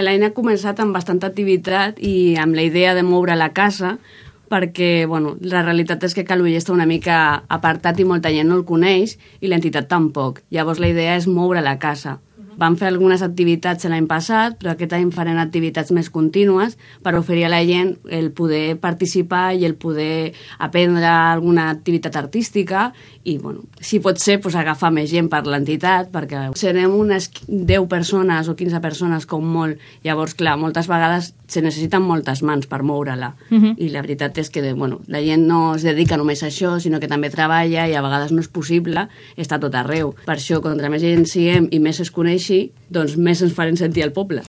L'any ha començat amb bastanta activitat i amb la idea de moure la casa, perquè la realitat és que Calella està una mica apartat i molta gent no el coneix i l'entitat tampoc. Llavors la idea és moure la casa. Vam fer algunes activitats l'any passat, però aquest any farem activitats més contínues per oferir a la gent el poder participar i el poder aprendre alguna activitat artística i, si pot ser, agafar més gent per l'entitat, perquè serem unes 10 persones o 15 persones com molt. Llavors, clar, moltes vegades se necessiten moltes mans per moure-la. I la veritat és que la gent no es dedica només a això, sinó que també treballa i a vegades no és possible estar tot arreu. Per això, contra més gent siguem i més es coneixi, doncs més ens farem sentir al poble.